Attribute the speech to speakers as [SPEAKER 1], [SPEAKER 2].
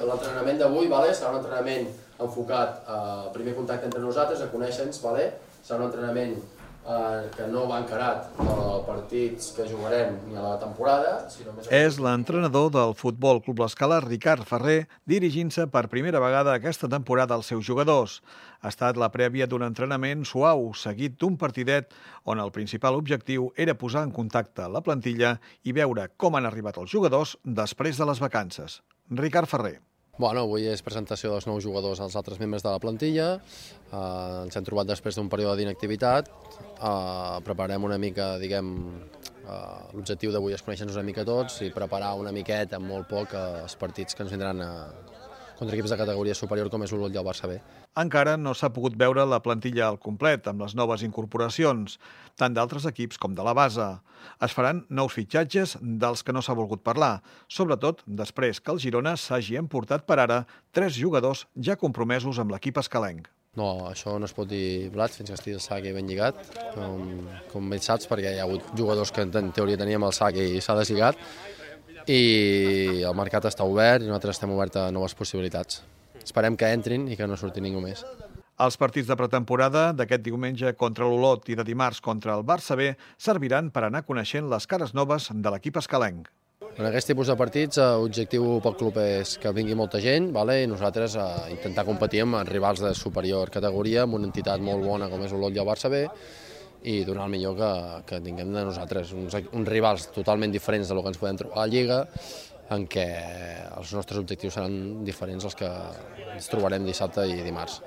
[SPEAKER 1] l'entrenament d'avui serà un entrenament enfocat al primer contacte entre nosaltres, a conèixer-nos, serà un entrenament que no va encarat als partits que jugarem ni a la temporada, sinó més...
[SPEAKER 2] És l'entrenador del Futbol Club L'Escala, Ricard Ferrer, dirigint-se per primera vegada aquesta temporada als seus jugadors. Ha estat la prèvia d'un entrenament suau, seguit d'un partidet on el principal objectiu era posar en contacte la plantilla i veure com han arribat els jugadors després de les vacances. Ricard Ferrer.
[SPEAKER 3] Avui és presentació dels nous jugadors als altres membres de la plantilla. Ens hem trobat després d'un període d'inactivitat. Preparem una mica, l'objectiu d'avui és conèixer-nos una mica tots i preparar una miqueta, amb molt poc, els partits que ens vindran contra equips de categoria superior com és l'Olot i el Barça B.
[SPEAKER 2] Encara no s'ha pogut veure la plantilla al complet amb les noves incorporacions, tant d'altres equips com de la base. Es faran nous fitxatges dels que no s'ha volgut parlar, sobretot després que el Girona s'hagi emportat per ara 3 jugadors ja compromesos amb l'equip escalenc.
[SPEAKER 3] No, això no es pot dir blat fins que estigui el sac ben lligat, com bé saps, perquè hi ha hagut jugadors que en teoria teníem el sac i s'ha deslligat, i el mercat està obert i nosaltres estem oberts a noves possibilitats. Esperem que entrin i que no surti ningú més.
[SPEAKER 2] Els partits de pretemporada d'aquest diumenge contra l'Olot i de dimarts contra el Barça B serviran per anar coneixent les cares noves de l'equip escalenc.
[SPEAKER 3] En aquest tipus de partits, l'objectiu pel club és que vingui molta gent i nosaltres intentar competir amb rivals de superior categoria, amb una entitat molt bona com és l'Olot i el Barça B, i donar el millor que tinguem de nosaltres, uns rivals totalment diferents del que ens podem trobar a la Lliga, en què els nostres objectius seran diferents als que ens trobarem dissabte i dimarts.